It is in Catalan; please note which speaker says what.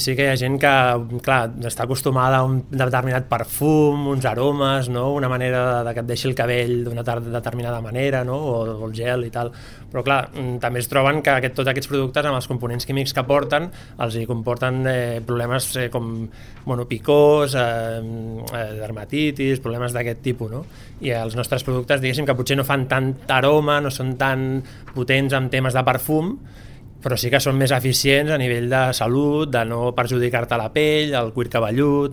Speaker 1: Sí que hi ha gent que, clar, està acostumada a un determinat perfum, uns aromes, no? Una manera de que et deixi el cabell d'una determinada manera, no? O el gel i tal. Però, clar, també es troben que tots aquests productes, amb els components químics que porten, els hi comporten problemes com picors, dermatitis, problemes d'aquest tipus, no? I els nostres productes, diguéssim, que potser no fan tant aroma, no són tan potents en temes de perfum, però sí que són més eficients a nivell de salut, de no perjudicar-te la pell, el cuir cabellut.